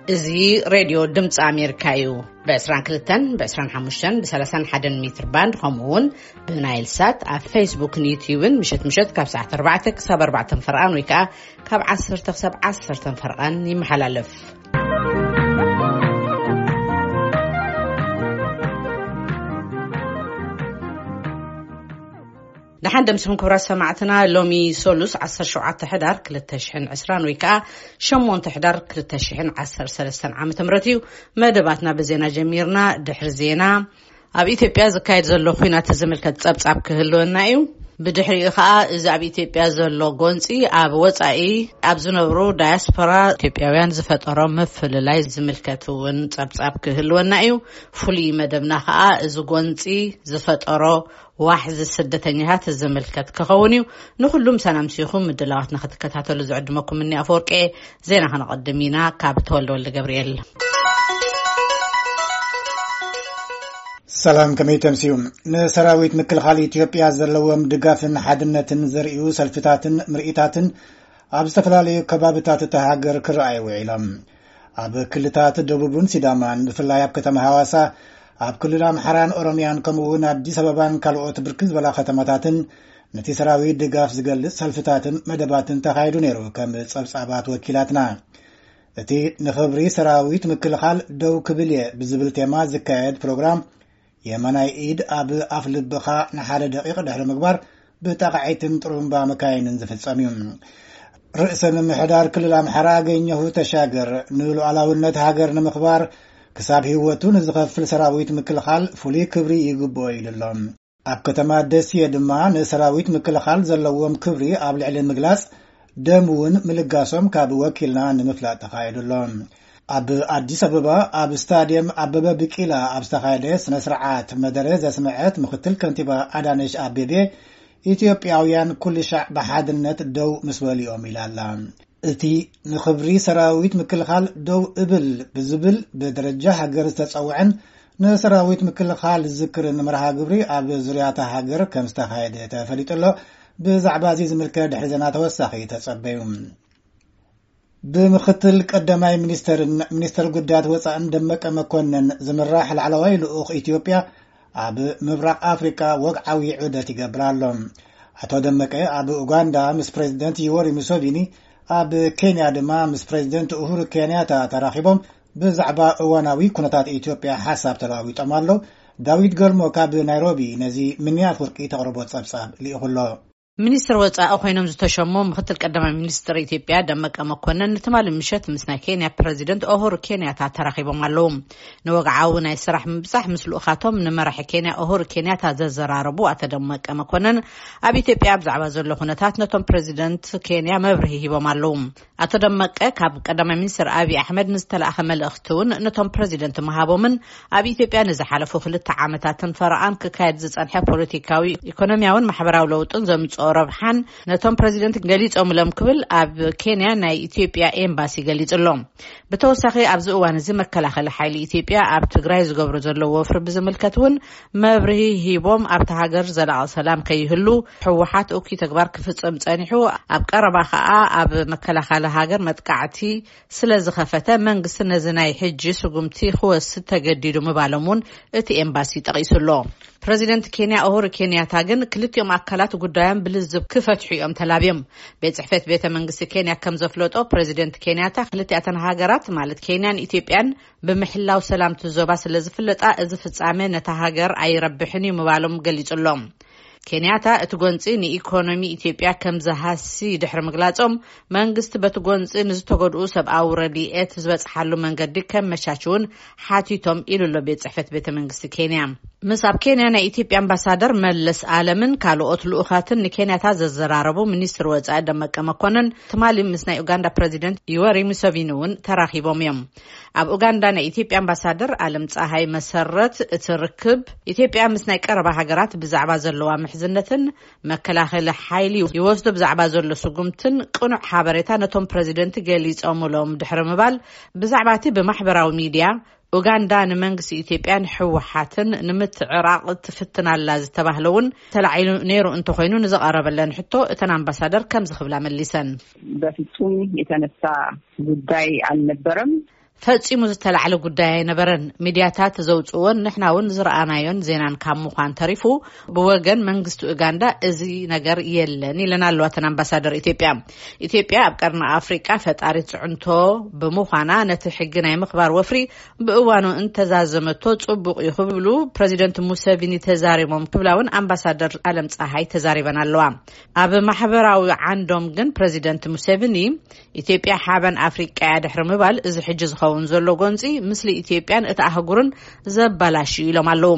እዚ ሬድዮ ድምፂ ኣሜሪካ እዩ። ብ22፣ ብ25፣ ብ31 ሜትር ባንድ፣ ከምኡ እውን ብናይል ሳት ኣብ ፌስቡክን ዩትዩብን ምሸት ምሸት ካብ ሰዓት ኣርባዕተ ክሳብ ኣርባዕተ ፈርቓን ወይ ከዓ ካብ ዓሰርተ ክሳብ ዓሰርተ ፈርቓን ይመሓላለፍ። ደሓን ደምስኹም ክቡራት ሰማዕትና። ሎሚ ሶሉስ ዓሰርተ ሸውዓተ ሕዳር ክልተ ሽሕን ዕስራን ወይ ከዓ ሸሞንተ ሕዳር ክልተ ሽሕን ዓሰርተ ሰለስተን ዓመተ ምህረት እዩ። መደባትና ብዜና ጀሚርና። ድሕሪ ዜና ኣብ ኢትዮጵያ ዝካየድ ዘሎ ኲናት ዝምልከት ጸብጻብ ክህልወና እዩ። ብድሕሪኡ ከዓ እዚ ኣብ ኢትዮጵያ ዘሎ ጎንጺ ኣብ ወጻኢ ኣብ ዝነብሩ ዳያስፖራ ኢትዮጵያውያን ዝፈጠሮ ምፍልላይ ዝምልከት እውን ጸብጻብ ክህልወና እዩ። ፍሉይ መደብና ከዓ እዚ ጎንጺ ዝፈጠሮ ዋሕዚ ስደተኛታት ዝምልከት ክኸውን እዩ። ንኹሉም ሰላም ሲኹም ምድላዋትና ክትከታተሉ ዝዕድመኩም እኒ ኣፈወርቄ። ዜና ከነቐድም ኢና። ካብ ተወልደ ወልደ ገብርኤል። ሰላም፣ ከመይ ተምስዩ? ንሰራዊት ምክልኻል ኢትዮጵያ ዘለዎም ድጋፍን ሓድነትን ዘርእዩ ሰልፍታትን ምርኢታትን ኣብ ዝተፈላለዩ ከባብታት እታ ሃገር ክረኣዩ ውዒሎም። ኣብ ክልታት ደቡብን ሲዳማን፣ ብፍላይ ኣብ ከተማ ሃዋሳ፣ ኣብ ክልል ኣምሓራን ኦሮምያን፣ ከምኡ እውን ኣዲስ ኣበባን ካልኦት ብርክት ዝበላ ከተማታትን፣ ነቲ ሰራዊት ድጋፍ ዝገልጽ ሰልፍታትን መደባትን ተኻይዱ ነይሩ። ከም ጸብጻባት ወኪላትና፣ እቲ ንኽብሪ ሰራዊት ምክልኻል ደው ክብል እየ ብዝብል ቴማ ዝካየድ ፕሮግራም፣ የማናይ ኢድ ኣብ ኣፍ ልብኻ ንሓደ ደቂቕ ድሕሪ ምግባር፣ ብጣቕዒትን ጥሩምባ መካይንን ዝፍጸም እዩ። ርእሰ ምምሕዳር ክልል ኣምሓራ ኣገኘሁ ተሻገር፣ ንሉዓላውነት ሃገር ንምኽባር ክሳብ ህይወቱ ንዝኸፍል ሰራዊት ምክልኻል ፍሉይ ክብሪ ይግብኦ ኢሉ ኣሎ። ኣብ ከተማ ደሴ ድማ ንሰራዊት ምክልኻል ዘለዎም ክብሪ ኣብ ልዕሊ ምግላጽ፣ ደም እውን ምልጋሶም ካብ ወኪልና ንምፍላጥ ተኻይዱ ኣሎ። ኣብ ኣዲስ ኣበባ ኣብ ስታድየም ኣበበ ቢቂላ ኣብ ዝተኻየደ ስነ ስርዓት መደረ ዘስምዐት ምክትል ከንቲባ ኣዳነሽ ኣቤቤ፣ ኢትዮጵያውያን ኩሉ ሻዕ ብሓድነት ደው ምስ በሉ እዮም ኢላ ኣላ። እቲ ንኽብሪ ሰራዊት ምክልኻል ደው እብል ብዝብል ብደረጃ ሃገር ዝተጸውዐን ንሰራዊት ምክልኻል ዝዝክርን መርሃ ግብሪ ኣብ ዙርያታ ሃገር ከም ዝተኻየደ ተፈሊጡ ኣሎ። ብዛዕባ እዚ ዝምልከት ድሕሪ ዜና ተወሳኺ ተጸበዩ። ብምክትል ቀዳማይ ሚኒስተርን ሚኒስተር ጉዳያት ወጻእን ደመቀ መኮንን ዝምራሕ ላዕለዋይ ልኡኽ ኢትዮጵያ ኣብ ምብራቕ ኣፍሪቃ ወግዓዊ ዑደት ይገብር ኣሎ። ኣቶ ደመቀ ኣብ ኡጋንዳ ምስ ፕሬዚደንት ዮወሪ ሙሶቪኒ፣ ኣብ ኬንያ ድማ ምስ ፕሬዚደንት ኡሁሩ ኬንያታ ተራኺቦም ብዛዕባ እዋናዊ ኩነታት ኢትዮጵያ ሓሳብ ተለዋዊጦም ኣለዉ። ዳዊት ገልሞ ካብ ናይሮቢ ነዚ ምንያ ኣፍወርቂ ተቕርቦ ጸብጻብ ልኢኹ ኣሎ። ሚኒስትር ወጻኢ ኮይኖም ዝተሸሙ ምክትል ቀዳማይ ሚኒስትር ኢትዮጵያ ደመቀ መኮንን ንትማሊ ምሸት ምስ ናይ ኬንያ ፕረዚደንት ኦሁሩ ኬንያታ ተራኺቦም ኣለዉ። ንወግዓዊ ናይ ስራሕ ምብጻሕ ምስ ልኡኻቶም ንመራሒ ኬንያ ኦሁሩ ኬንያታ ዘዘራረቡ ኣቶ ደመቀ መኮንን፣ ኣብ ኢትዮጵያ ብዛዕባ ዘሎ ኩነታት ነቶም ፕረዚደንት ኬንያ መብርሂ ሂቦም ኣለዉ። ኣቶ ደመቀ ካብ ቀዳማይ ሚኒስትር ኣብይ ኣሕመድ ንዝተላእኸ መልእኽቲ እውን ነቶም ፕረዚደንት ምሃቦምን ኣብ ኢትዮጵያ ንዝሓለፉ ክልተ ዓመታትን ፈረቓን ክካየድ ዝጸንሐ ፖለቲካዊ፣ ኢኮኖሚያውን ማሕበራዊ ለውጥን ዘምጽኦ ረብሓን ነቶም ፕረዚደንት ገሊጾምሎም ክብል ኣብ ኬንያ ናይ ኢትዮጵያ ኤምባሲ ገሊጹ ኣሎ። ብተወሳኺ ኣብዚ እዋን እዚ መከላኸሊ ሓይሊ ኢትዮጵያ ኣብ ትግራይ ዝገብሮ ዘሎ ወፍሪ ብዝምልከት እውን መብርሂ ሂቦም፣ ኣብታ ሃገር ዘላቒ ሰላም ከይህሉ ህወሓት እኩይ ተግባር ክፍጽም ጸኒሑ፣ ኣብ ቀረባ ከኣ ኣብ መከላኸሊ ሃገር መጥቃዕቲ ስለ ዝኸፈተ መንግስቲ ነዚ ናይ ሕጂ ስጉምቲ ክወስድ ተገዲዱ ምባሎም እውን እቲ ኤምባሲ ጠቒሱ ኣሎ። ፕረዚደንት ኬንያ ኡሁሩ ኬንያታ ግን ክልቲኦም ኣካላት ጉዳዮም ብልዝብ ክፈትሑ እዮም ተላብዮም። ቤት ጽሕፈት ቤተ መንግስቲ ኬንያ ከም ዘፍለጦ፣ ፕረዚደንት ኬንያታ ክልቲኣተን ሃገራት ማለት ኬንያን ኢትዮጵያን ብምሕላው ሰላምቲ ዞባ ስለ ዝፍለጣ፣ እዚ ፍጻመ ነታ ሃገር ኣይረብሕን እዩ ምባሎም ገሊጹ ኣሎ። ኬንያታ እቲ ጎንጺ ንኢኮኖሚ ኢትዮጵያ ከም ዝሃሲ ድሕሪ ምግላጾም፣ መንግስቲ በቲ ጎንጺ ንዝተጎድኡ ሰብኣዊ ረድኤት ዝበጽሓሉ መንገዲ ከመቻችውን ሓቲቶም ኢሉ ኣሎ ቤት ጽሕፈት ቤተ መንግስቲ ኬንያ። ምስ ኣብ ኬንያ ናይ ኢትዮጵያ ኣምባሳደር መለስ ኣለምን ካልኦት ልኡኻትን ንኬንያታ ዘዘራረቡ ሚኒስትር ወጻኢ ደመቀ መኮንን ትማሊ ምስ ናይ ኡጋንዳ ፕረዚደንት ዩወሪ ሙሰቪኒ እውን ተራኺቦም እዮም። ኣብ ኡጋንዳ ናይ ኢትዮጵያ ኣምባሳደር ኣለም ጸሃይ መሰረት፣ እቲ ርክብ ኢትዮጵያ ምስ ናይ ቀረባ ሃገራት ብዛዕባ ዘለዋ ምሕዝነትን መከላኸሊ ሓይሊ ይወስዶ ብዛዕባ ዘሎ ስጉምትን ቅኑዕ ሓበሬታ ነቶም ፕረዚደንት ገሊጾምሎም ድሕሪ ምባል፣ ብዛዕባ እቲ ብማሕበራዊ ሚድያ ኡጋንዳ ንመንግስቲ ኢትዮጵያን ህወሓትን ንምትዕራቕ ትፍትን ኣላ ዝተባህለ እውን ተላዒሉ ነይሩ እንተኾይኑ፣ ንዝቐረበለን ሕቶ እተን ኣምባሳደር ከምዚ ክብላ መሊሰን። በፍጹም የተነሳ ጉዳይ አልነበረም። ፈጺሙ ዝተላዕለ ጉዳይ ኣይነበረን። ሚድያታት ዘውጽእዎን ንሕና እውን ዝረኣናዮን ዜናን ካብ ምዃን ተሪፉ፣ ብወገን መንግስቲ ኡጋንዳ እዚ ነገር የለን ኢለን ኣለዋ እተን ኣምባሳደር ኢትዮጵያ። ኢትዮጵያ ኣብ ቀርኒ ኣፍሪቃ ፈጣሪት ጽዕንቶ ብምዃና፣ ነቲ ሕጊ ናይ ምኽባር ወፍሪ ብእዋኑ እንተዛዘመቶ ጽቡቕ እዩ ክብሉ ፕረዚደንት ሙሴቪኒ ተዛሪቦም ክብላ እውን ኣምባሳደር ኣለም ጸሃይ ተዛሪበን ኣለዋ። ኣብ ማሕበራዊ ዓንዶም ግን ፕረዚደንት ሙሴቪኒ፣ ኢትዮጵያ ሓበን ኣፍሪቃ እያ ድሕሪ ምባል፣ እዚ ሕጂ ዝኸውን ዘሎ ጎንጺ ምስሊ ኢትዮጵያን እቲ ኣህጉርን ዘባላሽ እዩ ኢሎም ኣለዉ።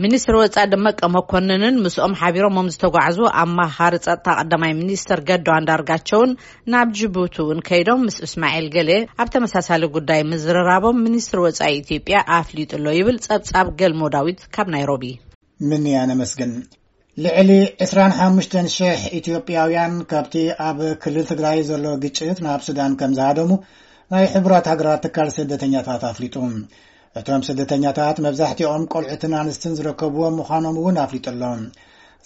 ሚኒስትር ወጻኢ ደመቀ መኮንንን ምስኦም ሓቢሮሞም ዝተጓዕዙ ኣማኻሪ ጸጥታ ቀዳማይ ሚኒስትር ገዱ ኣንዳርጋቸውን ናብ ጅቡቲ እውን ከይዶም ምስ እስማኤል ገሌ ኣብ ተመሳሳሊ ጉዳይ ምዝርራቦም ሚኒስትር ወጻኢ ኢትዮጵያ ኣፍሊጡ ኣሎ ይብል ጸብጻብ ገልሞ ዳዊት ካብ ናይሮቢ። ምን ያነመስግን። ልዕሊ ዕስራን ሓሙሽተን ሽሕ ኢትዮጵያውያን ካብቲ ኣብ ክልል ትግራይ ዘሎ ግጭት ናብ ሱዳን ከም ዝሃደሙ ናይ ሕቡራት ሃገራት ትካል ስደተኛታት ኣፍሊጡ። እቶም ስደተኛታት መብዛሕትኦም ቆልዑትን ኣንስትን ዝርከብዎም ምዃኖም እውን ኣፍሊጡ ኣሎ።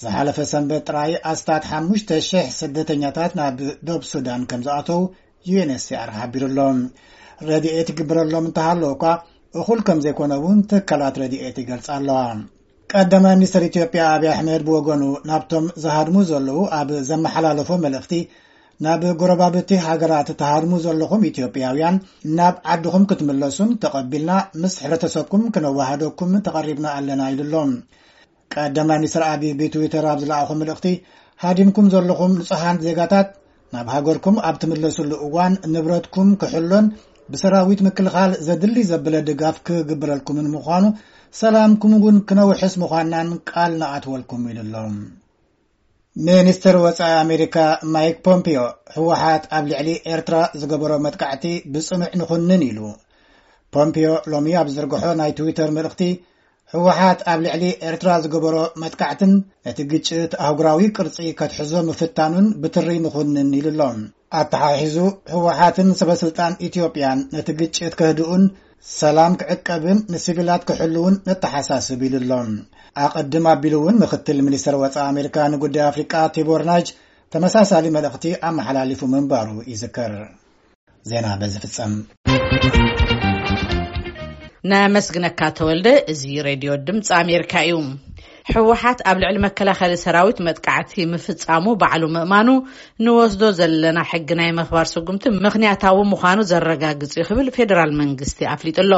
ዝሓለፈ ሰንበት ጥራይ ኣስታት ሓሙሽተ ሽሕ ስደተኛታት ናብ ዶብ ሱዳን ከም ዝኣተው ዩ ኤን ኤች ሲ ኣር ሓቢሩ ኣሎ። ረድኤት ይግበረሎም እንተሃለወ እኳ እኹል ከም ዘይኮነ እውን ትካላት ረድኤት ይገልጻ ኣለዋ። ቀዳማይ ሚኒስትር ኢትዮጵያ ኣብይ ኣሕመድ ብወገኑ ናብቶም ዝሃድሙ ዘለዉ ኣብ ዘመሓላለፎ መልእኽቲ፣ ናብ ጎረባብቲ ሃገራት ትሃድሙ ዘለኹም ኢትዮጵያውያን ናብ ዓድኹም ክትምለሱን ተቐቢልና ምስ ሕብረተሰብኩም ክነዋሃደኩም ተቐሪብና ኣለና ኢሉ ኣሎ። ቀዳማይ ሚኒስትር ኣብይ ብትዊተር ኣብ ዝለኣኾ መልእኽቲ፣ ሃዲምኩም ዘለኹም ንጹሃን ዜጋታት ናብ ሃገርኩም ኣብ ትምለስሉ እዋን ንብረትኩም ክሕሎን ብሰራዊት ምክልኻል ዘድሊ ዘበለ ድጋፍ ክግበረልኩምን ምዃኑ፣ ሰላምኩም እውን ክነውሕስ ምዃንናን ቃል ንኣትወልኩም ኢሉ ኣሎ። ሚኒስትር ወጻኢ ኣሜሪካ ማይክ ፖምፒዮ፣ ህወሓት ኣብ ልዕሊ ኤርትራ ዝገበሮ መጥቃዕቲ ብጽኑዕ ንኹንን ኢሉ። ፖምፒዮ ሎሚ ኣብ ዝዘርግሖ ናይ ትዊተር መልእኽቲ፣ ህወሓት ኣብ ልዕሊ ኤርትራ ዝገበሮ መጥቃዕትን ነቲ ግጭት ኣህጉራዊ ቅርጺ ከትሕዞ ምፍታኑን ብትሪ ንኹንን ኢሉ ኣሎ። ኣተሓሒዙ፣ ህወሓትን ሰበስልጣን ኢትዮጵያን ነቲ ግጭት ከህድኡን ሰላም ክዕቀብን ንሲቪላት ክሕልውን ነተሓሳስብ ኢሉ ኣሎ። ኣቐድም ኣቢሉ እውን ምክትል ሚኒስትር ወጻኢ ኣሜሪካ ንጉዳይ ኣፍሪቃ ቲቦር ናጅ ተመሳሳሊ መልእኽቲ ኣመሓላሊፉ ምንባሩ ይዝከር። ዜና በዚ ፍጸም። ነመስግነካ ተወልደ። እዚ ሬድዮ ድምፂ ኣሜሪካ እዩ። ህወሓት ኣብ ልዕሊ መከላኸሊ ሰራዊት መጥቃዕቲ ምፍጻሙ ባዕሉ ምእማኑ ንወስዶ ዘለና ሕጊ ናይ ምኽባር ስጉምቲ ምኽንያታዊ ምዃኑ ዘረጋግጽ እዩ ክብል ፌደራል መንግስቲ ኣፍሊጡ ኣሎ።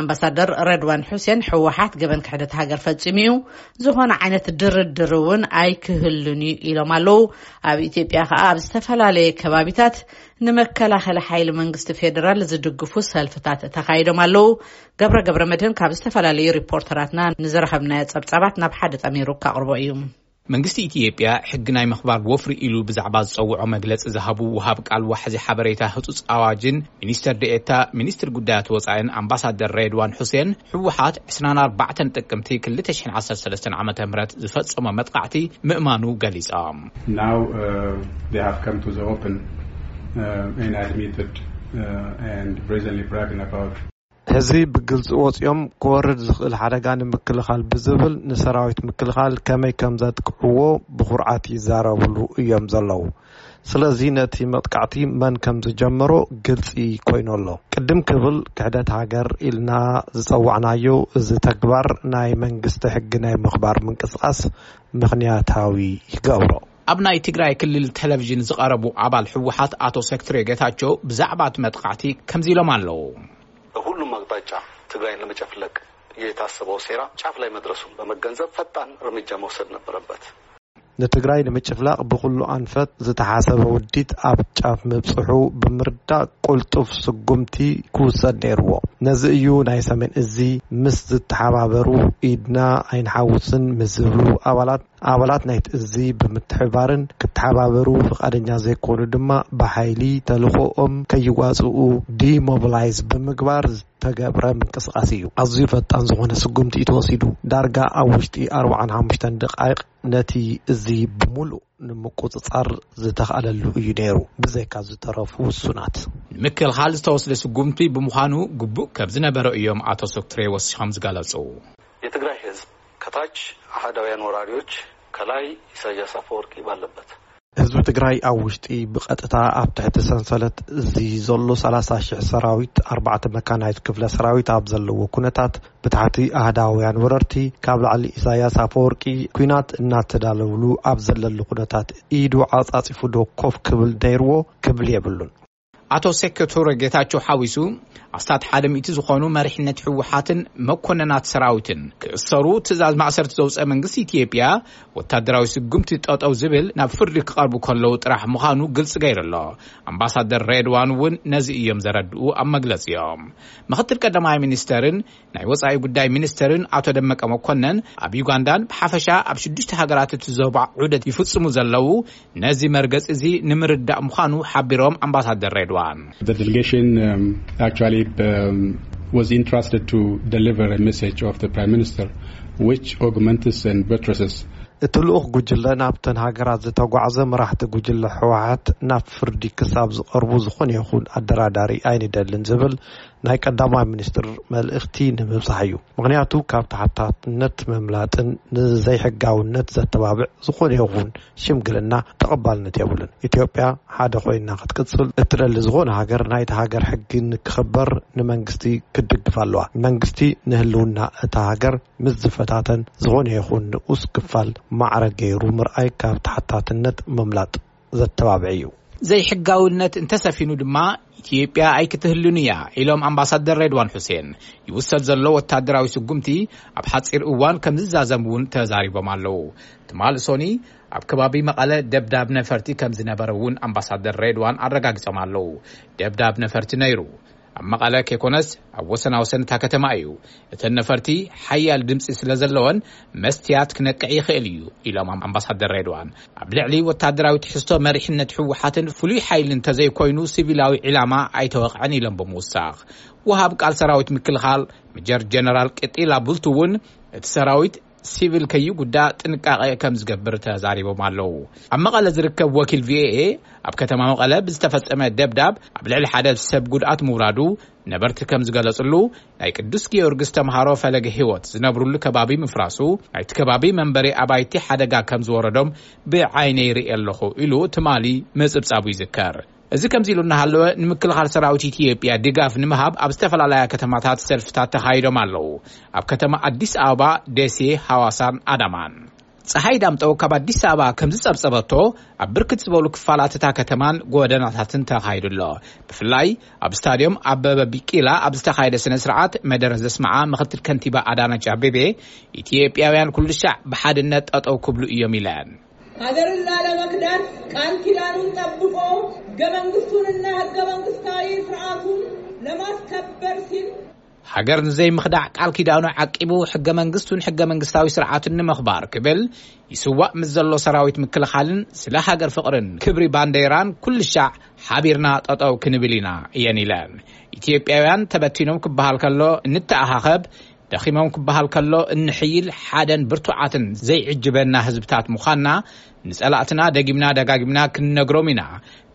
ኣምባሳደር ረድዋን ሑሴን፣ ህወሓት ገበን ክሕደት ሃገር ፈጺሙ እዩ፣ ዝኾነ ዓይነት ድርድር እውን ኣይክህሉን እዩ ኢሎም ኣለዉ። ኣብ ኢትዮጵያ ከኣ ኣብ ዝተፈላለየ ከባቢታት ንመከላኸሊ ሓይሊ መንግስቲ ፌደራል ዝድግፉ ሰልፍታት ተኻይዶም ኣለዉ። ገብረ ገብረ መድህን ካብ ዝተፈላለዩ ሪፖርተራትና ንዝረኸብናዮ ጸብጻባት ናብ ሓደ ጠሚሩ ከቕርቦ እዩ። መንግስቲ ኢትዮጵያ ሕጊ ናይ ምኽባር ወፍሪ ኢሉ ብዛዕባ ዝጸውዖ መግለጺ ዝሃቡ ወሃብ ቃል ዋሕዚ ሓበሬታ ህጹጽ ኣዋጅን ሚኒስተር ደኤታ ሚኒስትር ጉዳያት ወጻኢን ኣምባሳደር ሬድዋን ሑሴን፣ ህወሓት ዕስራን ኣርባዕተን ጥቅምቲ ክልተ ሽሕን ዓሰርተ ሰለስተን ዓመተ ምህረት ዝፈጸሞ መጥቃዕቲ ምእማኑ ገሊጾም። Now, uh, they have come to the open, uh, and admitted, uh, and brazenly bragging about ሕዚ ብግልጺ ወጺኦም ክወርድ ዝኽእል ሓደጋ ንምክልኻል ብዝብል ንሰራዊት ምክልኻል ከመይ ከም ዘጥቅዕዎ ብኹርዓት ይዛረብሉ እዮም ዘለዉ። ስለዚ ነቲ መጥቃዕቲ መን ከም ዝጀመሮ ግልጺ ኮይኑ ኣሎ። ቅድም ክብል ክሕደት ሃገር ኢልና ዝጸዋዕናዮ እዚ ተግባር ናይ መንግስቲ ሕጊ ናይ ምኽባር ምንቅስቓስ ምኽንያታዊ ይገብሮ። ኣብ ናይ ትግራይ ክልል ቴሌቪዥን ዝቐረቡ ኣባል ህወሓት ኣቶ ሰክትሬ ጌታቸው ብዛዕባ እቲ መጥቃዕቲ ከምዚ ኢሎም ኣለዉ። በሁሉም አቅጣጫ ትግራይን ለመጨፍለቅ የታሰበው ሴራ ጫፍ ላይ መድረሱን በመገንዘብ ፈጣን እርምጃ መውሰድ ነበረበት። ንትግራይ ንምጭፍላቕ ብኹሉ ኣንፈት ዝተሓሰበ ውዲት ኣብ ጫፍ ምብጽሑ ብምርዳእ ቅልጡፍ ስጉምቲ ክውሰድ ነይርዎ። ነዚ እዩ ናይ ሰሜን እዚ ምስ ዝተሓባበሩ ኢድና ኣይንሓውስን ምስ ዝብሉ ኣባላት ኣባላት ናይቲ እዚ ብምትሕባርን ክተሓባበሩ ፍቓደኛ ዘይኮኑ ድማ ብሓይሊ ተልእኾኦም ከይዋፅኡ ዲሞቢላይዝ ብምግባር ዝተገብረ ምንቅስቓስ እዩ። ኣዝዩ ፈጣን ዝኾነ ስጉምቲ እዩ ተወሲዱ። ዳርጋ ኣብ ውሽጢ ኣርብዓን ሓሙሽተን ደቃይቕ ነቲ እዚ ብምሉእ ንምቁፅፃር ዝተኽኣለሉ እዩ ነይሩ፣ ብዘይካ ዝተረፉ ውሱናት። ንምክልኻል ዝተወስደ ስጉምቲ ብምዃኑ ግቡእ ከም ዝነበረ እዮም ኣቶ ሶክትሬ ወሲኾም ዝገለፁ። የትግራይ ህዝብ ከታች አህዳውያን ወራሪዎች ከላይ ኢሳያስ አፈወርቂ ባለበት። ህዝቢ ትግራይ ኣብ ውሽጢ ብቐጥታ ኣብ ትሕቲ ሰንሰለት እዚ ዘሎ ሰላሳ ሽሕ ሰራዊት፣ ኣርባዕተ መካናይት ክፍለ ሰራዊት ኣብ ዘለዎ ኩነታት፣ ብታሕቲ ኣህዳውያን ወረርቲ ካብ ላዕሊ ኢሳያስ ኣፈወርቂ ኲናት እናተዳለውሉ ኣብ ዘለሉ ኩነታት ኢዱ ዓጻጺፉ ዶ ኮፍ ክብል ነይርዎ ክብል የብሉን። ኣቶ ሴኩቱረ ጌታቸው ሓዊሱ ኣስታት ሓደ ሚእቲ ዝኾኑ መሪሕነት ህወሓትን መኮንናት ሰራዊትን ክእሰሩ ትእዛዝ ማእሰርቲ ዘውፀ መንግስቲ ኢትዮጵያ፣ ወታደራዊ ስጉምቲ ጠጠው ዝብል ናብ ፍርዲ ክቐርቡ ከለዉ ጥራሕ ምዃኑ ግልፂ ገይሩ ኣሎ። ኣምባሳደር ሬድዋን እውን ነዚ እዮም ዘረድኡ ኣብ መግለፂኦም። ምክትል ቀዳማይ ሚኒስተርን ናይ ወፃኢ ጉዳይ ሚኒስተርን ኣቶ ደመቀ መኮነን ኣብ ዩጋንዳን ብሓፈሻ ኣብ ሽዱሽተ ሃገራት እቲ ዞባ ዑደት ይፍፅሙ ዘለዉ ነዚ መርገፂ እዚ ንምርዳእ ምዃኑ ሓቢሮም። ኣምባሳደር ሬድዋን፣ The delegation um, actually um, was entrusted to deliver a message of the Prime Minister, which augments and buttresses እቲ ልኡኽ ጉጅለ ናብተን ሃገራት ዝተጓዕዘ፣ መራሕቲ ጉጅለ ህወሓት ናብ ፍርዲ ክሳብ ዝቐርቡ ዝኾነ ይኹን ኣደራዳሪ ኣይንደልን ዝብል ናይ ቀዳማይ ሚኒስትር መልእኽቲ ንምብጻሕ እዩ። ምኽንያቱ ካብ ተሓታትነት ምምላጥን ንዘይሕጋውነት ዘተባብዕ ዝኾነ ይኹን ሽምግልና ተቐባልነት የብሉን። ኢትዮጵያ ሓደ ኮይና ክትቅጽል እትደሊ ዝኾነ ሃገር ናይቲ ሃገር ሕጊ ንክኽበር ንመንግስቲ ክትድግፍ ኣለዋ። መንግስቲ ንህልውና እታ ሃገር ምስ ዝፈታተን ዝኾነ ይኹን ንኡስ ክፋል ማዕረ ገይሩ ምርኣይ ካብ ተሓታትነት ምምላጥ ዘተባብዕ እዩ። ዘይሕጋውነት እንተሰፊኑ ድማ ኢትዮጵያ ኣይክትህሉን እያ ኢሎም ኣምባሳደር ሬድዋን ሑሴን። ይውሰድ ዘሎ ወታደራዊ ስጉምቲ ኣብ ሓፂር እዋን ከም ዝዛዘም እውን ተዛሪቦም ኣለዉ። ትማል ሶኒ ኣብ ከባቢ መቐለ ደብዳብ ነፈርቲ ከም ዝነበረ እውን ኣምባሳደር ሬድዋን ኣረጋጊጾም ኣለዉ። ደብዳብ ነፈርቲ ነይሩ። ኣብ መቐለ ከይኮነስ ኣብ ወሰናወሰን እታ ከተማ እዩ። እተን ነፈርቲ ሓያል ድምፂ ስለ ዘለወን መስትያት ክነቅዕ ይኽእል እዩ ኢሎም ኣምባሳደር ሬድዋን። ኣብ ልዕሊ ወታደራዊ ትሕዝቶ መሪሕነት ህወሓትን ፍሉይ ሓይሊ እንተዘይኮይኑ ሲቪላዊ ዒላማ ኣይተወቕዐን ኢሎም ብምውሳኽ፣ ወሃብ ቃል ሰራዊት ምክልኻል መጀር ጀነራል ቅጢላ ቡልቱ እውን እቲ ሰራዊት ሲቪል ከይጉዳእ ጥንቃቐ ከም ዝገብር ተዛሪቦም ኣለዉ። ኣብ መቐለ ዝርከብ ወኪል ቪኦኤ ኣብ ከተማ መቐለ ብዝተፈጸመ ደብዳብ ኣብ ልዕሊ ሓደ ሰብ ጉድኣት ምውራዱ ነበርቲ ከም ዝገለጽሉ፣ ናይ ቅዱስ ጊዮርጊስ ተምሃሮ ፈለገ ህይወት ዝነብሩሉ ከባቢ ምፍራሱ ናይቲ ከባቢ መንበሪ ኣባይቲ ሓደጋ ከም ዝወረዶም ብዓይነይ ርኢ ኣለኹ ኢሉ ትማሊ ምጽብጻቡ ይዝከር። እዚ ከምዚ ኢሉ እናሃለወ ንምክልኻል ሰራዊት ኢትዮጵያ ድጋፍ ንምሃብ ኣብ ዝተፈላለያ ከተማታት ሰልፍታት ተኻይዶም ኣለዉ። ኣብ ከተማ ኣዲስ ኣበባ፣ ደሴ፣ ሃዋሳን ኣዳማን። ፀሓይ ዳምጠው ካብ ኣዲስ ኣበባ ከም ዝፀብፀበቶ ኣብ ብርክት ዝበሉ ክፋላት እታ ከተማን ጎደናታትን ተኻይዱ ኣሎ። ብፍላይ ኣብ ስታዲየም ኣበበ ቢቂላ ኣብ ዝተኻየደ ስነ ስርዓት መደረ ዘስምዓ ምክትል ከንቲባ ኣዳነች ኣቤቤ፣ ኢትዮጵያውያን ኩሉ ሻዕ ብሓድነት ጠጠው ክብሉ እዮም ኢለን። ሀገርን ላለመክዳት ቃል ኪዳኑን ጠብቆ ህገ መንግስቱንና ህገ መንግስታዊ ስርዓቱን ለማስከበር ሲል ሃገር ንዘይምኽዳዕ ቃል ኪዳኑ ዓቂቡ ሕገ መንግስቱን ሕገ መንግስታዊ ስርዓቱን ንምኽባር ክብል ይስዋእ ምስ ዘሎ ሰራዊት ምክልኻልን ስለ ሃገር ፍቕርን ክብሪ ባንዴራን ኩሉ ሻዕ ሓቢርና ጠጠው ክንብል ኢና እየን ኢለን። ኢትዮጵያውያን ተበቲኖም ክበሃል ከሎ እንተኣኻኸብ፣ ደኺሞም ክበሃል ከሎ እንሕይል ሓደን ብርቱዓትን ዘይዕጅበና ህዝብታት ምዃንና ንጸላእትና ደጊምና ደጋጊምና ክንነግሮም ኢና፣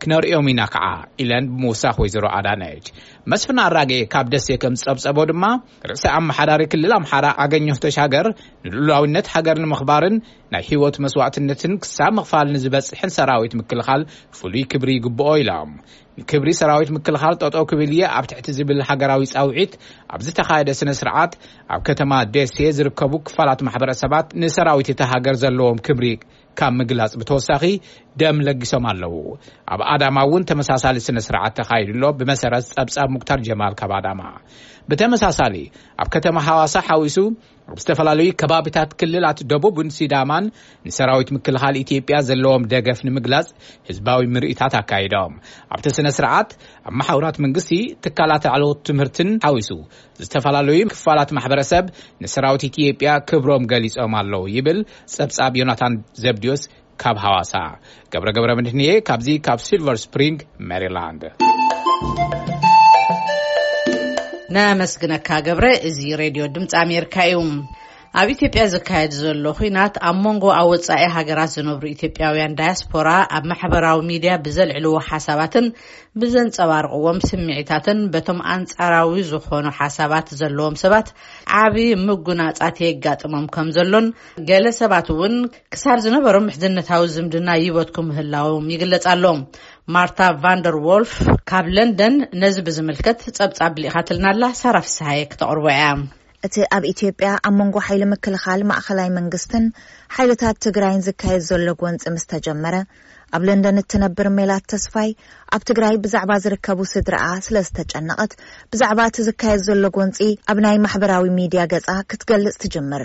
ክነርእዮም ኢና ከዓ ኢለን ብምውሳኽ ወይዘሮ ኣዳነች። መስፍን ኣራጌ ካብ ደሴ ከም ዝጸብጸቦ ድማ ርእሰ ኣመሓዳሪ ክልል ኣምሓራ ኣገኘሁ ተሻገር ንልኡላዊነት ሃገር ንምኽባርን ናይ ህይወት መስዋዕትነትን ክሳብ ምኽፋል ንዝበጽሕን ሰራዊት ምክልኻል ፍሉይ ክብሪ ይግብኦ ኢሎም። ንክብሪ ሰራዊት ምክልኻል ጠጠው ክብል እየ ኣብ ትሕቲ ዝብል ሃገራዊ ጻውዒት ኣብ ዝተኻየደ ስነ ስርዓት ኣብ ከተማ ደሴ ዝርከቡ ክፋላት ማሕበረሰባት ንሰራዊት እታ ሃገር ዘለዎም ክብሪ ካብ ምግላጽ ብተወሳኺ ደም ለጊሶም ኣለዉ። ኣብ ኣዳማ እውን ተመሳሳሊ ስነ ስርዓት ተኻይዱ ኣሎ። ብመሰረት ጸብጻብ ሙክታር ጀማል ካብ ኣዳማ። ብተመሳሳሊ ኣብ ከተማ ሃዋሳ ሓዊሱ ኣብ ዝተፈላለዩ ከባቢታት ክልላት ደቡብን ሲዳማን ንሰራዊት ምክልኻል ኢትዮጵያ ዘለዎም ደገፍ ንምግላጽ ህዝባዊ ምርኢታት ኣካይዶም። ኣብቲ ስነ ስርዓት ኣብ መሓውራት መንግስቲ፣ ትካላት ላዕለዎት ትምህርትን ሓዊሱ ዝተፈላለዩ ክፋላት ማሕበረሰብ ንሰራዊት ኢትዮጵያ ክብሮም ገሊጾም ኣለዉ ይብል ጸብጻብ ዮናታን ዘብዲዮስ ካብ ሃዋሳ። ገብረ ገብረ መድህንየ ካብዚ ካብ ሲልቨር ስፕሪንግ ሜሪላንድ። ነመስግነካ ገብረ። እዚ ሬድዮ ድምፂ ኣሜሪካ እዩ። ኣብ ኢትዮጵያ ዝካየድ ዘሎ ኹናት ኣብ መንጎ ኣብ ወጻኢ ሃገራት ዝነብሩ ኢትዮጵያውያን ዳያስፖራ ኣብ ማሕበራዊ ሚድያ ብዘልዕልዎ ሓሳባትን ብዘንጸባርቕዎም ስምዒታትን በቶም ኣንጻራዊ ዝኾኑ ሓሳባት ዘለዎም ሰባት ዓቢ ምጉናጻት የጋጥሞም ከም ዘሎን፣ ገለ ሰባት እውን ክሳብ ዝነበሮም ምሕዝነታዊ ዝምድና ይበትኩ ምህላዎም ይግለጽ ኣሎ። ማርታ ቫንደር ዎልፍ ካብ ለንደን ነዚ ብዝምልከት ጸብጻብ ልኢኻትልና ኣላ። ሳራ ፍስሃየ ክተቕርቦ እያ። እቲ ኣብ ኢትዮጵያ ኣብ መንጎ ሓይሊ ምክልኻል ማእኸላይ መንግስትን ሓይልታት ትግራይን ዝካየድ ዘሎ ጎንፂ ምስ ተጀመረ፣ ኣብ ለንደን እትነብር ሜላት ተስፋይ፣ ኣብ ትግራይ ብዛዕባ ዝርከቡ ስድራኣ ስለ ዝተጨነቐት፣ ብዛዕባ እቲ ዝካየድ ዘሎ ጎንፂ ኣብ ናይ ማሕበራዊ ሚድያ ገፃ ክትገልጽ ትጅምር።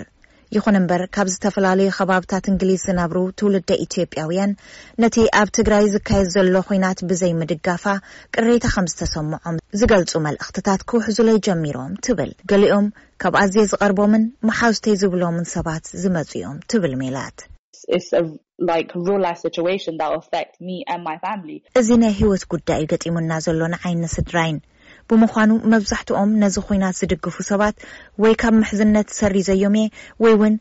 ይኹን እምበር፣ ካብ ዝተፈላለዩ ከባብታት እንግሊዝ ዝነብሩ ትውልደ ኢትዮጵያውያን፣ ነቲ ኣብ ትግራይ ዝካየድ ዘሎ ኹናት ብዘይ ምድጋፋ ቅሬታ ከም ዝተሰምዖም ዝገልጹ መልእኽትታት ክውሕዙለይ ጀሚሮም ትብል። ገሊኦም ካብ ኣዝየ ዝቐርቦምን መሓዙተይ ዝብሎምን ሰባት ዝመጹ እዮም ትብል ሜላት። It's a, like, real life situation that will affect me and my family. እዚ ናይ ህይወት ጉዳይ እዩ ገጢሙና ዘሎ ንዓይን ንስድራይን። ብምዃኑ፣ መብዛሕትኦም ነዚ ኹናት ዝድግፉ ሰባት ወይ ካብ ምሕዝነት ሰሪዘዮም እየ፣ ወይ እውን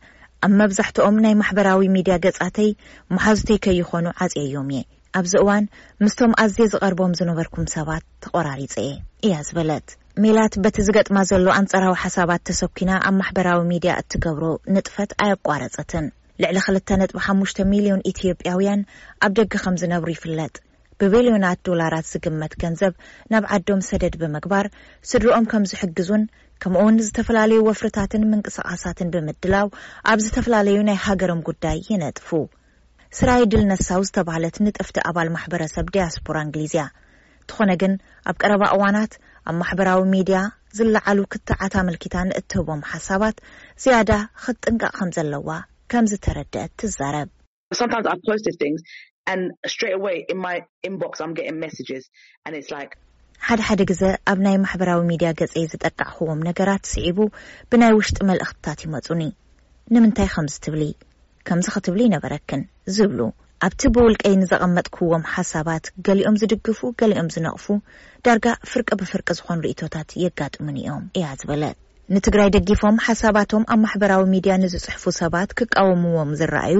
ኣብ መብዛሕትኦም ናይ ማሕበራዊ ሚድያ ገጻተይ መሓዙተይ ከይኾኑ ዓጽየዮም እየ። ኣብዚ እዋን ምስቶም ኣዝየ ዝቐርቦም ዝነበርኩም ሰባት ተቖራሪጸ እየ፣ እያ ዝበለት። ሜላት በቲ ዝገጥማ ዘሎ ኣንጻራዊ ሓሳባት ተሰኪና ኣብ ማሕበራዊ ሚድያ እትገብሮ ንጥፈት ኣየቋረጸትን። ልዕሊ ክልተ ነጥቢ ሓሙሽተ ሚልዮን ኢትዮጵያውያን ኣብ ደገ ከም ዝነብሩ ይፍለጥ። ብቢልዮናት ዶላራት ዝግመት ገንዘብ ናብ ዓዶም ሰደድ ብምግባር፣ ስድርኦም ከም ዝሕግዙን፣ ከምኡውን ዝተፈላለዩ ወፍርታትን ምንቅስቓሳትን ብምድላው ኣብ ዝተፈላለዩ ናይ ሃገሮም ጉዳይ ይነጥፉ። ስራይ ድል ነሳው ዝተባህለት ንጥፍቲ ኣባል ማሕበረሰብ ዲያስፖራ እንግሊዝ እያ። እንተኾነ ግን፣ ኣብ ቀረባ እዋናት ኣብ ማሕበራዊ ሚድያ ዝለዓሉ ክትዓት ኣመልኪታ ንእትህቦም ሓሳባት ዝያዳ ክትጥንቀቕ ከም ዘለዋ ከም ዝተረድአት ትዛረብ። Sometimes I post these things and straight away in my inbox I'm getting messages and it's like ሓደ ሓደ ግዘ ኣብ ናይ ማሕበራዊ ሚድያ ገጸይ ዝጠቃዕኽዎም ነገራት ስዒቡ ብናይ ውሽጢ መልእኽትታት ይመጹኒ። ንምንታይ ከምዚ ትብሊ? ከምዚ ክትብሊ ይነበረክን ዝብሉ። ኣብቲ ብውልቀይ ንዘቐመጥክዎም ሓሳባት ገሊኦም ዝድግፉ፣ ገሊኦም ዝነቕፉ፣ ዳርጋ ፍርቂ ብፍርቂ ዝኾኑ ርእይቶታት የጋጥሙኒ እዮም እያ ዝበለት። ንትግራይ ደጊፎም ሓሳባቶም ኣብ ማሕበራዊ ሚድያ ንዝጽሕፉ ሰባት ክቃወምዎም ዝረኣዩ፣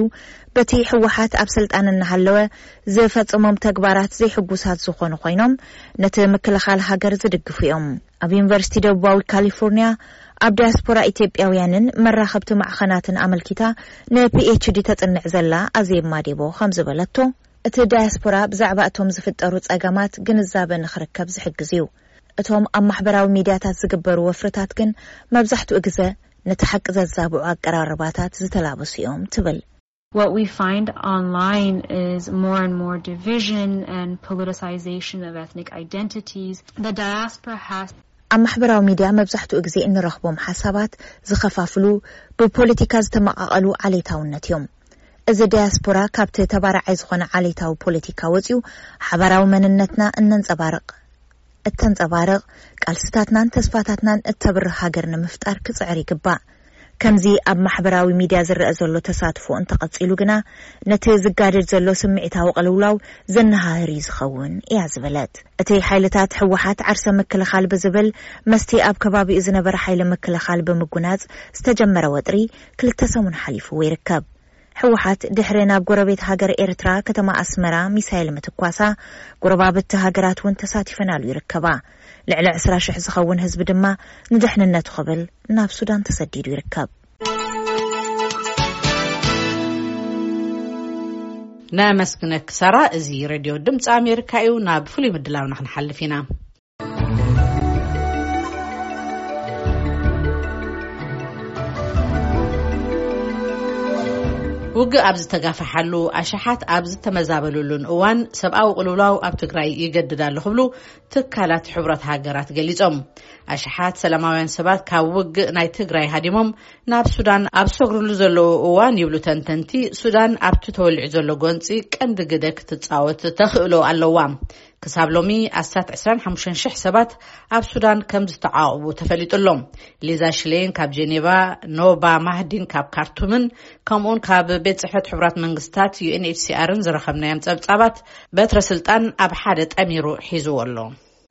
በቲ ህወሓት ኣብ ስልጣን እናሃለወ ዝፈጸሞም ተግባራት ዘይሕጉሳት ዝኾኑ ኮይኖም፣ ነቲ ምክልኻል ሃገር ዝድግፉ እዮም። ኣብ ዩኒቨርሲቲ ደቡባዊ ካሊፎርኒያ ኣብ ዲያስፖራ ኢትዮጵያውያንን መራኸብቲ ማዕኸናትን ኣመልኪታ ንፒኤችዲ ተጽንዕ ዘላ ኣዜብ ማዴቦ ከም ዝበለቶ፣ እቲ ዳያስፖራ ብዛዕባ እቶም ዝፍጠሩ ጸገማት ግንዛበ ንኽርከብ ዝሕግዝ እዩ። እቶም ኣብ ማሕበራዊ ሚድያታት ዝግበሩ ወፍርታት ግን መብዛሕትኡ ግዘ ነቲ ሓቂ ዘዛብዑ ኣቀራርባታት ዝተላበሱ እዮም ትብል። What we find online is more and more division and politicization of ethnic identities. The diaspora has ኣብ ማሕበራዊ ሚድያ መብዛሕትኡ ግዜ እንረኽቦም ሓሳባት ዝኸፋፍሉ፣ ብፖለቲካ ዝተመቓቐሉ ዓሌታውነት እዮም። እዚ ዳያስፖራ ካብቲ ተባራዓይ ዝኾነ ዓሌታዊ ፖለቲካ ወፂኡ ሓባራዊ መንነትና እነንፀባርቕ እተንጸባርቕ፣ ቃልስታትናን ተስፋታትናን እተብርህ ሃገር ንምፍጣር ክጽዕር ይግባእ። ከምዚ ኣብ ማሕበራዊ ሚድያ ዝረአ ዘሎ ተሳትፎ እንተቐጺሉ ግና፣ ነቲ ዝጋደድ ዘሎ ስምዒታዊ ቅልውላው ዘነሃህር እዩ ዝኸውን እያ ዝበለት። እቲ ሓይልታት ህወሓት ዓርሰ ምክልኻል ብዝብል መስቲ ኣብ ከባቢኡ ዝነበረ ሓይሊ ምክልኻል ብምጉናጽ ዝተጀመረ ወጥሪ ክልተ ሰሙን ሓሊፍዎ ይርከብ። ህወሓት ድሕሪ ናብ ጎረቤት ሃገር ኤርትራ ከተማ ኣስመራ ሚሳይል ምትኳሳ፣ ጎረባብቲ ሃገራት እውን ተሳቲፈናሉ ይርከባ። ልዕሊ ዕስራ ሽሕ ዝኸውን ህዝቢ ድማ ንድሕንነቱ ክብል ናብ ሱዳን ተሰዲዱ ይርከብ። ነመስግነኪ ሳራ። እዚ ሬድዮ ድምፂ ኣሜሪካ እዩ። ናብ ፍሉይ ምድላውና ክንሓልፍ ኢና። ውግእ ኣብ ዝተጋፈሓሉ፣ ኣሽሓት ኣብ ዝተመዛበሉሉን እዋን፣ ሰብኣዊ ቅልውላው ኣብ ትግራይ ይገድድ ኣሎ ክብሉ ትካላት ሕቡራት ሃገራት ገሊጾም። ኣሽሓት ሰላማውያን ሰባት ካብ ውግእ ናይ ትግራይ ሃዲሞም ናብ ሱዳን ኣብ ዝሰግሩሉ ዘለዉ እዋን ይብሉ ተንተንቲ፣ ሱዳን ኣብቲ ተወሊዑ ዘሎ ጎንጺ ቀንዲ ግደ ክትጻወት ተኽእሎ ኣለዋ። ክሳብ ሎሚ ኣስታት ዕስራን ሓሙሽተን ሽሕ ሰባት ኣብ ሱዳን ከም ዝተዓቑቡ ተፈሊጡ ኣሎ። ሊዛ ሽሌን ካብ ጄኔቫ፣ ኖባ ማህዲን ካብ ካርቱምን ከምኡውን ካብ ቤት ጽሕፈት ሕቡራት መንግስታት ዩ ኤን ኤች ሲ ኣርን ዝረኸብናዮም ጸብጻባት በትረ ስልጣን ኣብ ሓደ ጠሚሩ ሒዝዎ ኣሎ።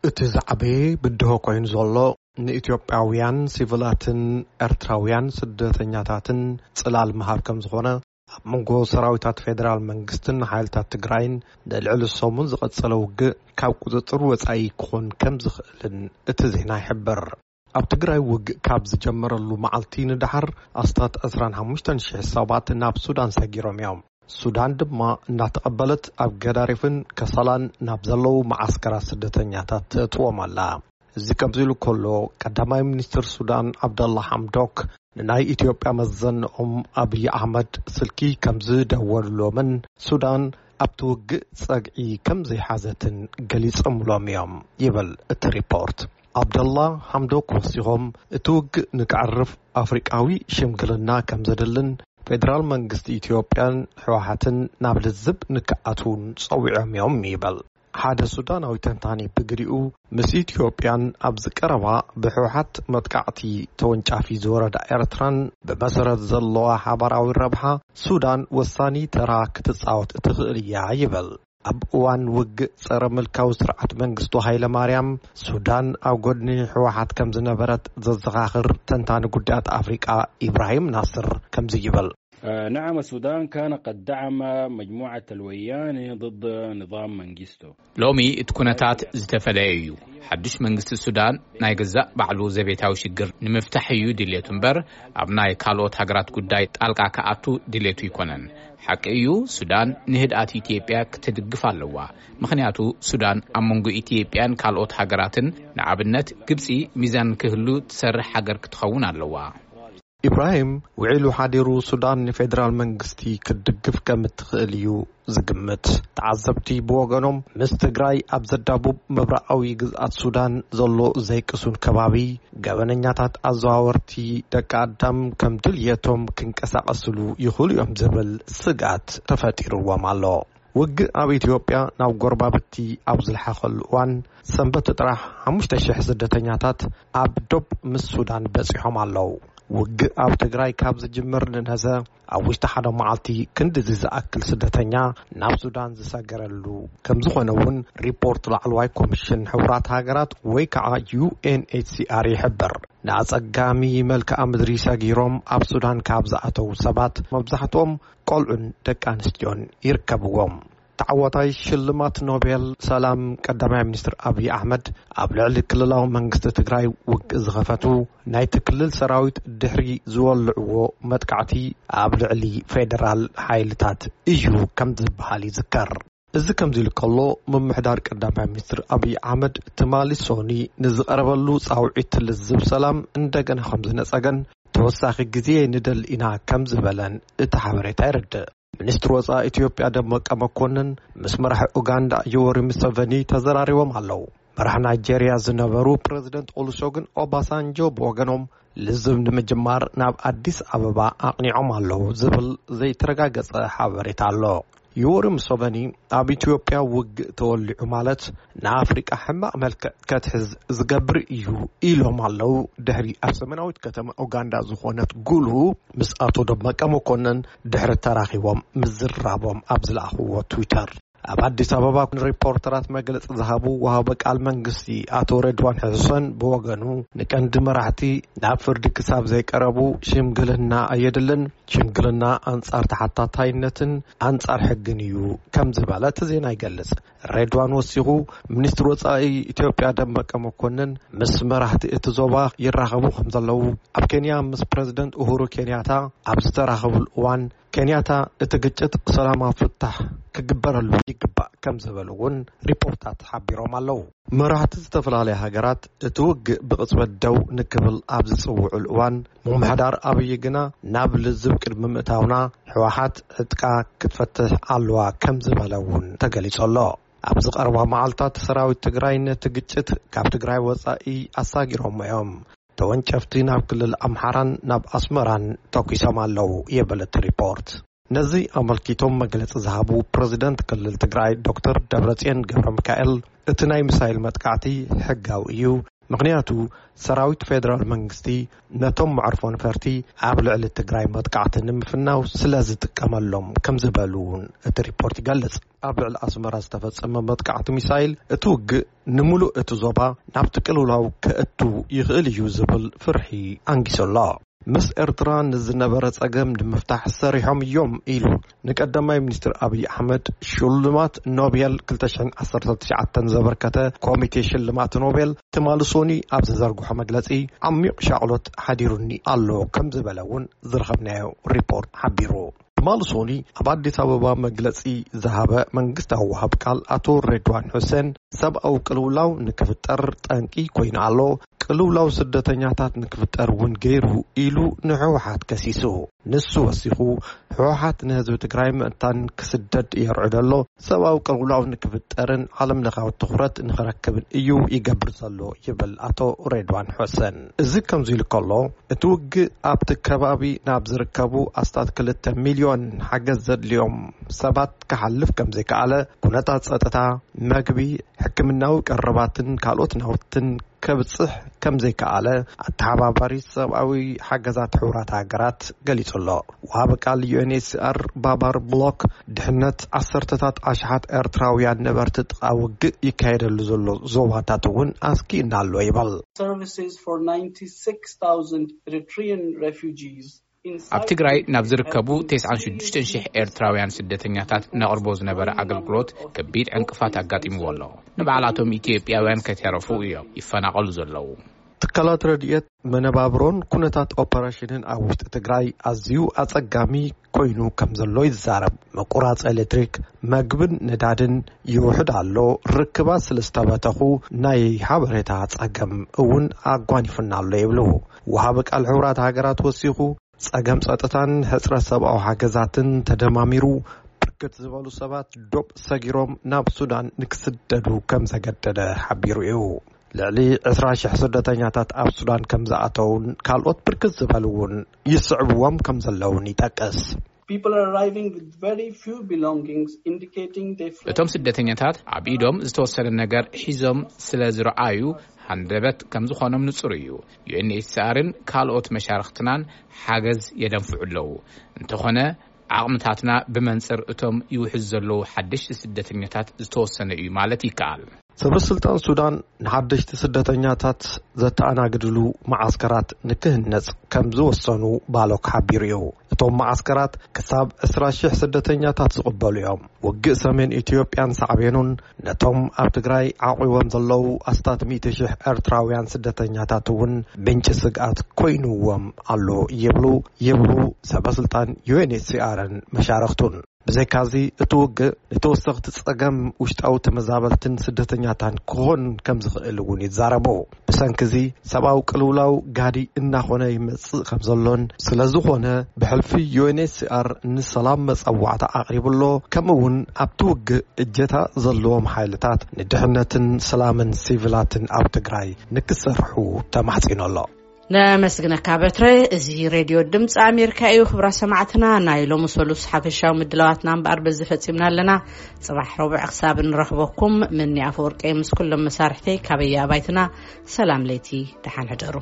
እቲ ዝዓበየ ብድሆ ኮይኑ ዘሎ ንኢትዮጵያውያን ሲቪላትን ኤርትራውያን ስደተኛታትን ጽላል ምሃብ ከም ዝኾነ፣ ኣብ መንጎ ሰራዊታት ፌደራል መንግስትን ሓይልታት ትግራይን ንልዕሊ ሰሙን ዝቐጸለ ውግእ ካብ ቁጽጽር ወጻኢ ክኾን ከም ዝኽእልን እቲ ዜና ይሕብር። ኣብ ትግራይ ውግእ ካብ ዝጀመረሉ መዓልቲ ንደሓር ኣስታት ዕስራን ሓሙሽተን ሽሕ ሰባት ናብ ሱዳን ሰጊሮም እዮም። ሱዳን ድማ እናተቐበለት ኣብ ገዳሪፍን ከሰላን ናብ ዘለዉ መዓስከራት ስደተኛታት ተእትዎም ኣላ። እዚ ከምዚ ኢሉ ከሎ፣ ቀዳማይ ሚኒስትር ሱዳን ዓብደላ ሓምዶክ ንናይ ኢትዮጵያ መዘንኦም ኣብይ ኣሕመድ ስልኪ ከም ዝደወሉሎምን ሱዳን ኣብቲ ውግእ ጸግዒ ከም ዘይሓዘትን ገሊጾምሎም እዮም ይብል እቲ ሪፖርት። ዓብደላ ሓምዶክ ወሲኾም፣ እቲ ውግእ ንክዕርፍ ኣፍሪቃዊ ሽምግልና ከም ዘድልን ፌደራል መንግስቲ ኢትዮጵያን ህወሓትን ናብ ልዝብ ንክኣትውን ጸዊዖም እዮም ይብል። ሓደ ሱዳናዊ ተንታኒ ብግዲኡ፣ ምስ ኢትዮጵያን ኣብዚ ቀረባ ብህወሓት መጥቃዕቲ ተወንጫፊ ዝወረዳ ኤርትራን ብመሰረት ዘለዋ ሓባራዊ ረብሓ ሱዳን ወሳኒ ተራ ክትጻወት ትኽእል እያ ይብል። ኣብ እዋን ውግእ ጸረ ምልካዊ ስርዓት መንግስቱ ሃይለ ማርያም፣ ሱዳን ኣብ ጎድኒ ህወሓት ከም ዝነበረት ዘዘኻኽር ተንታኒ ጉዳያት ኣፍሪቃ ኢብራሂም ናስር ከምዚ ይብል። آه، نعم، السودان كان قد دعم مجموعة الوياني ضد نظام منجستو. ሎሚ እቲ ኩነታት ዝተፈለየ እዩ። ሓድሽ መንግስቲ ሱዳን ናይ ገዛእ ባዕሉ ዘቤታዊ ሽግር ንምፍታሕ እዩ ድልየቱ እምበር፣ ኣብ ናይ ካልኦት ሃገራት ጉዳይ ጣልቃ ክኣቱ ድልየቱ ኣይኮነን። ሓቂ እዩ፣ ሱዳን ንህድኣት ኢትዮጵያ ክትድግፍ ኣለዋ። ምኽንያቱ ሱዳን ኣብ መንጎ ኢትዮጵያን ካልኦት ሃገራትን፣ ንኣብነት ግብጺ፣ ሚዛን ክህሉ ትሰርሕ ሃገር ክትኸውን ኣለዋ። ኢብራሂም ውዒሉ ሓዲሩ ሱዳን ንፌደራል መንግስቲ ክትድግፍ ከም እትኽእል እዩ ዝግምት። ተዓዘብቲ ብወገኖም፣ ምስ ትግራይ ኣብ ዘዳቡብ ምብራቓዊ ግዝኣት ሱዳን ዘሎ ዘይቅሱን ከባቢ፣ ገበነኛታት ኣዘዋወርቲ ደቂ ኣዳም ከም ድልየቶም ክንቀሳቐስሉ ይኽእሉ እዮም ዝብል ስግኣት ተፈጢርዎም ኣሎ። ውግእ ኣብ ኢትዮጵያ ናብ ጎረባብቲ ኣብ ዝለሓኸሉ እዋን፣ ሰንበት ጥራሕ ሓሙሽተ ሽሕ ስደተኛታት ኣብ ዶብ ምስ ሱዳን በጺሖም ኣለዉ። ውግእ ኣብ ትግራይ ካብ ዝጅምር ንነዘ፣ ኣብ ውሽጢ ሓደ መዓልቲ ክንድዚ ዝኣክል ስደተኛ ናብ ሱዳን ዝሰገረሉ ከም ዝኾነ እውን ሪፖርት ላዕለዋይ ኮሚሽን ሕቡራት ሃገራት ወይ ከዓ ዩ ኤን ኤች ሲ ኣር ይሕብር። ንኣጸጋሚ መልክዓ ምድሪ ሰጊሮም ኣብ ሱዳን ካብ ዝኣተዉ ሰባት መብዛሕትኦም ቆልዑን ደቂ ኣንስትዮን ይርከብዎም። ተዓዋታይ ሽልማት ኖቤል ሰላም ቀዳማይ ሚኒስትር ኣብይ ኣሕመድ፣ ኣብ ልዕሊ ክልላዊ መንግስቲ ትግራይ ውግእ ዝኸፈቱ ናይቲ ክልል ሰራዊት ድሕሪ ዝወልዕዎ መጥቃዕቲ፣ ኣብ ልዕሊ ፌደራል ሓይልታት እዩ ከም ዝበሃል ይዝከር። እዚ ከምዚ ኢሉ ከሎ፣ ምምሕዳር ቀዳማይ ሚኒስትር ኣብይ ኣሕመድ ትማሊ ሶኒ ንዝቐረበሉ ጻውዒት ልዝብ ሰላም እንደገና ከም ዝነጸገን፣ ተወሳኺ ግዜ ንደሊ ኢና ከም ዝበለን እቲ ሓበሬታ የረድእ። ሚኒስትር ወጻኢ ኢትዮጵያ ደመቀ መኮንን ምስ መራሒ ኡጋንዳ ዮወሪ ሙሰቨኒ ተዘራሪቦም ኣለዉ። መራሕ ናይጄርያ ዝነበሩ ፕረዚደንት ኦሉሰጉን ኦባሳንጆ ብወገኖም፣ ልዝብ ንምጅማር ናብ ኣዲስ ኣበባ ኣቕኒዖም ኣለዉ ዝብል ዘይተረጋገጸ ሓበሬታ ኣሎ። ዮወሪ ሙሰቨኒ፣ ኣብ ኢትዮጵያ ውግእ ተወሊዑ ማለት ንኣፍሪቃ ሕማቕ መልክዕ ከትሕዝ ዝገብር እዩ ኢሎም ኣለዉ፣ ድሕሪ ኣብ ሰሜናዊት ከተማ ኡጋንዳ ዝኾነት ጉሉ ምስ ኣቶ ደመቀ መኮንን ድሕሪ ተራኺቦም ምዝራቦም ኣብ ዝለኣኽዎ ትዊተር። ኣብ ኣዲስ ኣበባ ንሪፖርተራት መግለጺ ዝሃቡ ወሃቢ ቃል መንግስቲ ኣቶ ሬድዋን ሕሰን ብወገኑ፣ ንቀንዲ መራሕቲ ናብ ፍርዲ ክሳብ ዘይቀረቡ ሽምግልና ኣየድልን፣ ሽምግልና ኣንጻር ተሓታታይነትን ኣንጻር ሕግን እዩ ከም ዝበለ እቲ ዜና ይገልጽ። ሬድዋን ወሲኹ፣ ሚኒስትር ወጻኢ ኢትዮጵያ ደመቀ መኮንን ምስ መራሕቲ እቲ ዞባ ይራኸቡ ከም ዘለዉ፣ ኣብ ኬንያ ምስ ፕረዚደንት ኡሁሩ ኬንያታ ኣብ ዝተራኸቡሉ እዋን፣ ኬንያታ እቲ ግጭት ሰላማዊ ፍታሕ ክግበረሉ ይግባእ ከም ዝበሉ እውን ሪፖርታት ሓቢሮም ኣለዉ። መራሕቲ ዝተፈላለያ ሃገራት እቲ ውግእ ብቕጽበት ደው ንክብል ኣብ ዝጽውዑሉ እዋን፣ ምምሕዳር ኣብይ ግና ናብ ልዝብ ቅድሚ ምእታውና ህወሓት ዕጥቃ ክትፈትሕ ኣለዋ ከም ዝበለ እውን ተገሊጹ ኣሎ። ኣብዚ ቀረባ መዓልታት ሰራዊት ትግራይ ነቲ ግጭት ካብ ትግራይ ወጻኢ ኣሳጊሮሞ እዮም። ተወንጨፍቲ ናብ ክልል ኣምሓራን ናብ ኣስመራን ተኲሶም ኣለዉ ይብል እቲ ሪፖርት። ነዚ ኣመልኪቶም መግለጺ ዝሃቡ ፕረዚደንት ክልል ትግራይ ዶክተር ደብረጽዮን ገብረ ሚካኤል፣ እቲ ናይ ሚሳይል መጥቃዕቲ ሕጋዊ እዩ፣ ምኽንያቱ ሰራዊት ፌደራል መንግስቲ ነቶም መዕርፎ ነፈርቲ ኣብ ልዕሊ ትግራይ መጥቃዕቲ ንምፍናው ስለ ዝጥቀመሎም ከም ዝበሉ እውን እቲ ሪፖርት ይገልጽ። ኣብ ልዕሊ ኣስመራ ዝተፈጸመ መጥቃዕቲ ሚሳይል እቲ ውግእ ንምሉእ እቲ ዞባ ናብቲ ቅልውላው ከእቱ ይኽእል እዩ ዝብል ፍርሒ ኣንጊሱ ኣሎ። ምስ ኤርትራ ንዝነበረ ጸገም ንምፍታሕ ሰሪሖም እዮም ኢሉ ንቀዳማይ ሚኒስትር ኣብይ ኣሕመድ ሽልማት ኖቤል ክልተ ሽሕን ዓሰርተ ትሽዓተን ዘበርከተ ኮሚቴ ሽልማት ኖቤል ትማሊ ሶኒ ኣብ ዘዘርግሖ መግለጺ፣ ዓሚቕ ሻቕሎት ሓዲሩኒ ኣሎ ከም ዝበለ እውን ዝረኸብናዮ ሪፖርት ሓቢሩ። ትማሊ ሶኒ ኣብ ኣዲስ ኣበባ መግለጺ ዝሃበ መንግስታዊ ወሃብ ቃል ኣቶ ሬድዋን ሑሴን፣ ሰብኣዊ ቅልውላው ንክፍጠር ጠንቂ ኮይኑ ኣሎ፣ ቅልውላው ስደተኛታት ንክፍጠር እውን ገይሩ ኢሉ ንህወሓት ከሲሱ። ንሱ ወሲኹ፣ ህወሓት ንህዝቢ ትግራይ ምእንታን ክስደድ የርዕዶ ኣሎ፣ ሰብኣዊ ቅልውላው ንክፍጠርን ዓለም ለኻዊ ትኹረት ንክረክብን እዩ ይገብር ዘሎ ይብል ኣቶ ሬድዋን ሑሰን። እዚ ከምዚ ኢሉ ከሎ፣ እቲ ውግእ ኣብቲ ከባቢ ናብ ዝርከቡ ኣስታት ክልተ ሚልዮን ሓገዝ ዘድልዮም ሰባት ክሓልፍ ከም ዘይከኣለ፣ ኩነታት ጸጥታ፣ መግቢ፣ ሕክምናዊ ቀረባትን ካልኦት ናውትን ከብጽሕ ከም ዘይከኣለ ኣተሓባባሪ ሰብኣዊ ሓገዛት ሕቡራት ሃገራት ገሊጹ ኣሎ። ወሃቢ ቃል ዩ ኤን ኤች ሲ ኣር ባባር ብሎክ፣ ድሕነት ዓሰርተታት ኣሽሓት ኤርትራውያን ነበርቲ ጥቓ ውግእ ይካየደሉ ዘሎ ዞባታት እውን ኣስጊእና ኣሎ ይበል። Services for ninety-six thousand Eritrean refugees. ኣብ ትግራይ ናብ ዝርከቡ ተስዓን ሽዱሽተን ሽሕ ኤርትራውያን ስደተኛታት ነቕርቦ ዝነበረ ኣገልግሎት ከቢድ ዕንቅፋት ኣጋጢምዎ ኣሎ። ንባዕላቶም ኢትዮጵያውያን ከይተረፉ እዮም ይፈናቐሉ ዘለዉ። ትካላት ረድኤት መነባብሮን ኩነታት ኦፐሬሽንን ኣብ ውሽጢ ትግራይ ኣዝዩ ኣጸጋሚ ኮይኑ ከም ዘሎ ይዛረብ። ምቁራጽ ኤሌክትሪክ፣ መግብን ነዳድን ይውሕድ ኣሎ። ርክባት ስለ ዝተበተኹ ናይ ሓበሬታ ጸገም እውን ኣጓኒፉና ኣሎ ይብሉ። ወሃቢ ቃል ሕቡራት ሃገራት ወሲኹ፣ ጸገም ጸጥታን ሕጽረት ሰብኣዊ ሓገዛትን ተደማሚሩ፣ ብርክት ዝበሉ ሰባት ዶብ ሰጊሮም ናብ ሱዳን ንክስደዱ ከም ዘገደደ ሓቢሩ እዩ። ልዕሊ ዕስራ ሽሕ ስደተኛታት ኣብ ሱዳን ከም ዝኣተውን ካልኦት ብርክት ዝበሉ እውን ይስዕብዎም ከም ዘለውን ይጠቅስ። People are arriving with very few belongings, indicating they fled. እቶም ስደተኛታት ኣብ ኢዶም ዝተወሰነ ነገር ሒዞም ስለ ዝረኣዩ፣ ሃንደበት ከም ዝኾኖም ንጹር እዩ። ዩ ኤን ኤች ሲ ኣርን ካልኦት መሻርኽትናን ሓገዝ የደንፍዑ ኣለዉ። እንተኾነ፣ ዓቕምታትና ብመንጽር እቶም ይውሕዙ ዘለዉ ሓደሽቲ ስደተኛታት ዝተወሰነ እዩ ማለት ይከኣል። ሰበ ስልጣን ሱዳን ንሓደሽቲ ስደተኛታት ዘተኣናግድሉ መዓስከራት ንክህነጽ ከም ዝወሰኑ ባሎክ ሓቢሩ እዩ። እቶም መዓስከራት ክሳብ ዕስራ ሽሕ ስደተኛታት ዝቕበሉ እዮም። ውግእ ሰሜን ኢትዮጵያን ሳዕቤኑን ነቶም ኣብ ትግራይ ዓቑቦም ዘለዉ ኣስታት ሚእቲ ሽሕ ኤርትራውያን ስደተኛታት እውን ምንጪ ስግኣት ኮይኑዎም ኣሎ ይብሉ ይብሉ ሰበ ስልጣን ዩ ኤን ኤች ሲ ኣርን መሻርኽቱን። ብዘይካዚ እቲ ውግእ ንተወሰኽቲ ጸገም ውሽጣዊ ተመዛበልትን ስደተኛታን ክኾን ከም ዝኽእል እውን ይዛረቡ። ብሰንኪ እዚ ሰብኣዊ ቅልውላው ጋዲ እናኾነ ይመጽእ ከም ዘሎን፣ ስለ ዝኾነ ብሕልፊ ዩ ኤን ኤች ሲ ኣር ንሰላም መጸዋዕታ ኣቕሪቡ ኣሎ። ከምኡ እውን ኣብቲ ውግእ እጀታ ዘለዎም ሓይልታት ንድሕነትን ሰላምን ሲቪላትን ኣብ ትግራይ ንክሰርሑ ተማሕጺኑ ኣሎ። ነመስግነካ በትረ። እዚ ሬድዮ ድምፂ ኣሜሪካ እዩ። ክብራ ሰማዕትና፣ ናይ ሎሚ ሰሉስ ሓፈሻዊ ምድላዋትና እምበኣር በዚ ፈፂምና ኣለና። ፅባሕ ረቡዕ ክሳብ እንረኽበኩም፣ ምኒ ኣፈወርቂ ምስ ኩሎም መሳርሕተይ ካበየ ኣባይትና ሰላም ለይቲ፣ ደሓን ሕደሩ።